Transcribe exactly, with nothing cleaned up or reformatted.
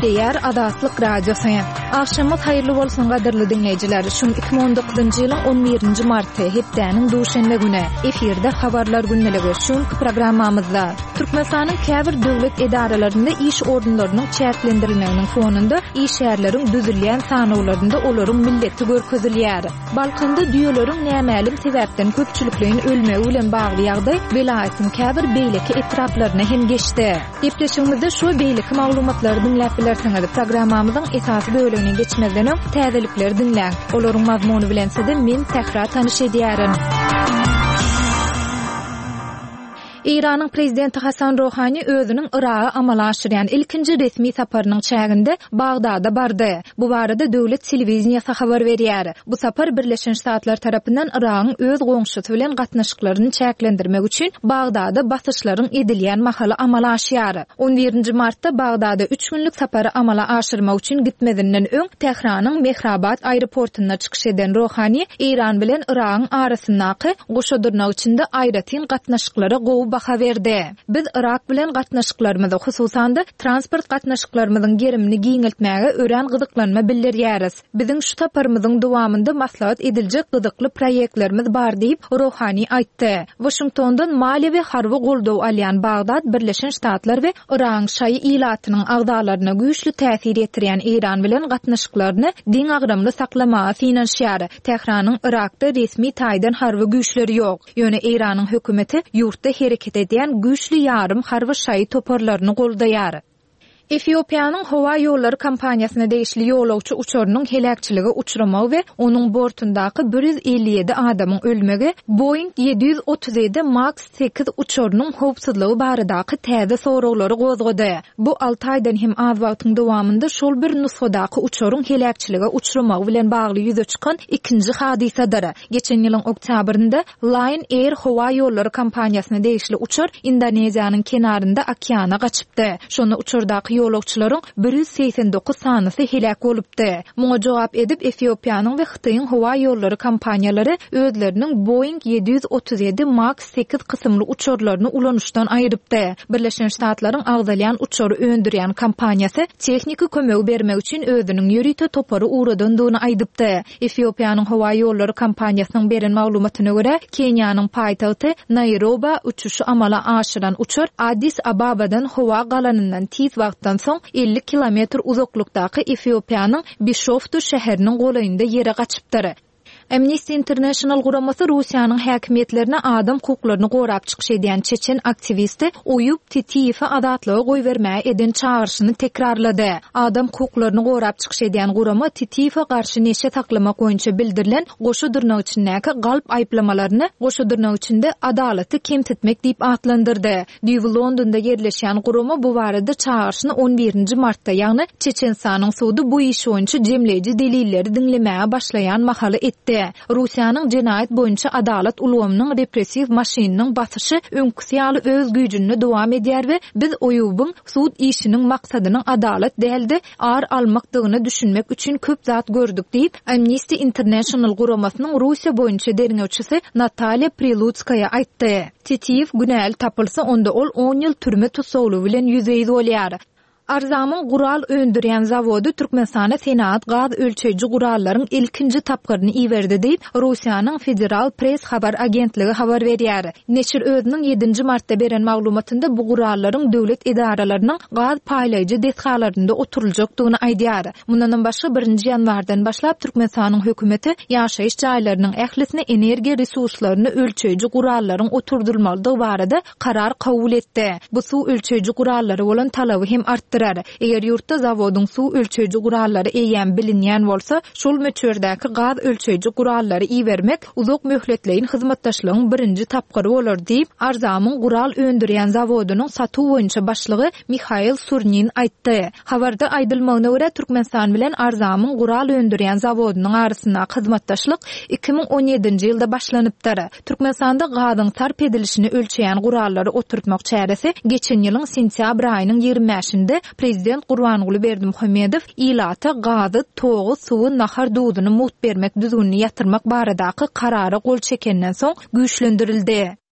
Gepleýär Azatlyk Radiosy. Agşamyňyz haýyrly bolsun gadyrly diňleýjiler. Şu iki müň on dokuzynjy ýylyň on birinji marty, hepdäniň duşenbe güni. Efirde habarlar gündeligi şu günki programmamyzda. Türkmenistanyň käbir döwlet edaralarynda iş orunlarynyň çäklendirilmeginiň fonunda işgärleriň düzülýän sanawlarynda olaryň milleti görkezilýär. Balkanda düýeleriň nämälim sebäpden köpçülikleýin ölmegi bilen bagly ýagdaý welaýatyň käbir beýleki etraplaryna hem geçdi. Gepleşigimizde şu beýleki maglumatlary diňläp bilersiňiz. Programmamyzyň esasy bölegine geçmezden öň täzelikleri diňläň. Olaryň mazmuny bilen sizi men Sähra tanyş edýärin. Eýranyň prezidenti Hasan Rohani özüniň Yraga amala aşyrýan ilkinji resmi saparynyň çäginde Bagdada bardy. Bu barada döwlet telewideniýesi habar berýär. Bu sapar Birleşen Ştatlar tarapyndan Yragyň öz goňşusy bilen gatnaşyklaryny çäklendirmek üçin Bagdada basyşlaryň edilýän mahaly amala aşýar. On birinji martda Bagdada üç günlük sapary amala aşyrmak üçin gitmezinden öň Tähranyň Mehrabad aeroportunda çykyş eden Rohani Eýran bilen Yragyň arasyndaky goşa dyrnak içinde aýratyn gatnaşyklara gowy baha berdi. Biz Yrak bilen gatnaşyklarymyzy, hususan-da transport gatnaşyklarymyzyň gerimini giňeltmäge örän gyzyklanma bildirýäris. Biziň şu saparymyzyň dowamynda maslahat ediljek gyzykly proýektlerimiz bar diýip Rohani aýtdy. Washingtondan maliýe we harby goldaw alýan Bagdad Birleşen Ştatlar we Yragyň şaýy ilatynyň agzalaryna güýçli täsir ýetirýän Eýran bilen gatnaşyklaryny deňagramly saklamaga synanyşýar. Tähranyň Yrakda resmi taýdan harby güýçleri ýok. Ýöne Eýranyň hökümeti ýurtda hereket edýän güýçli ýarym harby şaýy toparlaryny goldaýar. Efiopiýanyň howa ýollary kompaniýasyna degişli ýolagçy uçarynyň heläkçilige uçramagy we onuň bortundaky bir ýüz elli ýedi adamyň ölmegi Boeing ýedi ýüz otuz ýedi Max sekiz uçarynyň howpsuzlygy baradaky täze soraglary gozgady. Bu alty aýdan hem az wagtyň dowamynda şol bir nusgadaky uçaryň heläkçilige uçramagy bilen bagly ýüze çykan ikinji hadysadyr. Geçen ýylyň oktýabrynda Lion Air howa ýollary kompaniýasyna degişli uçar Indoneziýanyň kenarynda okeana gaçypdy. Şonda uçardaky ýolagçylaryň bir ýüz segsen dokuz sanysy heläk bolupdy. Muňa jogap edip Efiopiýanyň we Hytaýyň howa ýollary kompaniýalary özleriniň Boeing ýedi ýüz otuz ýedi Max sekiz kysymly uçarlaryny ulanyşdan aýrypdy. Birleşen Ştatlaryň agzalýan uçary öndürýän kompaniýasy tehniki kömegi bermek üçin özüniň ýörite topary ugradandygyny aýdypdy. Efiopiýanyň howa ýollary kompaniýasynyň beren maglumatyna görä, Keniýanyň paýtagty Nairoba uçuşy amala aşyran uçar Addis Ababadan howa galanyndan tiz wagtdan soň elli kilometr uzaklykdaky Efiopiýanyň Bişoftu şäheriniň golaýynda ýere gaçypdyr. Amnesty International guramasy Russiýanyň häkimiýetlerine adam hukuklaryny gorap çykyş edýän çeçen aktiwisti Oýub Titiýewi azatlyga goýbermäge eden çagyryşyny tekrarlady. Adam hukuklaryny gorap çykyş edýän gurama Titiýewe garşy neşe saklamak boýunça bildirilen goşa dyrnak içindäki galp aýyplamalaryny goşa dyrnak içinde adalaty kemsitmek diýip atlandyrdy. Düýbi Londonda ýerleşýän gurama bu barada çagyryşyny on birinji martda, ýagny Çeçenistanyň sudy bu iş boýunça jemleýji delilleri diňlemäge başlaýan mahaly etdi. Russiýanyň jenaýat boýunça adalat ulgamynyň repressiw maşynynyň basyşy öňküsi ýaly öz güýjünde dowam edýär we biz Oýubyň sud işiniň maksadynyň adalat däldi, ar almakdygyna düşünmek üçin köp zat gördük diýip, Amnesty International guramasynyň Russiýa boýunça derňewçisi Natalýa Prilutskaya aýtdy. Titiýew günäli tapylsa, onda ol on ýyl türme tussaglygy bilen ýüzbe-ýüz bolýar. Arzamyň gural öndürýän zawody Türkmenistana senagat gaz ölçeýji gurallaryň ilkinji tapgyryny iberdi diýip, Russiýanyň Federal Press habar agentligi habar berýär. Neşir özüniň ýedinji martda beren maglumatynda bu gurallaryň döwlet edaralarynyň gaz paýlaýjy desgalarynda oturyljakdygyny aýdýar. Mundan başga birinji ýanwardan başlap Türkmenistanyň hökümeti ýaşaýyş jaýlarynyň ählisine energiýa resurslaryny ölçeýji gurallaryň oturdylmalydygy barada karar kabul etdi. Bu suw ölçeýji gurallary bolan talaby hem artdyrar. Eger ýurtda zawodyň suw ölçeýji gurallary eýýäm bilinýän bolsa, şol möçberdäki gaz ölçeýji gurallary ibermek uzak möhletleýin hyzmatdaşlygyň birinji tapgyry bolar diýip, Arzamyň gural öndürýän zawodynyň satuw boýunça başlygy Mihail Surnin aýtdy. Habarda aýdylmagyna görä Türkmenistan bilen Arzamyň gural öndürýän zawodynyň arasyndaky hyzmatdaşlyk iki müň on ýedinji ýylda başlanypdyr. Türkmenistanda gazyň sarp edilişini ölçeýän gurallary oturtmak çäresi geçen ýylyň sentýabr aýynyň ýigrimi bäşinde Prezident Gurbanguly Berdimuhamedow ilata gazy, togy, suwy, nahar duzuny mugt bermek düzgünini ýatyrmak baradaky karara gol çekenden soň güýçlendirildi.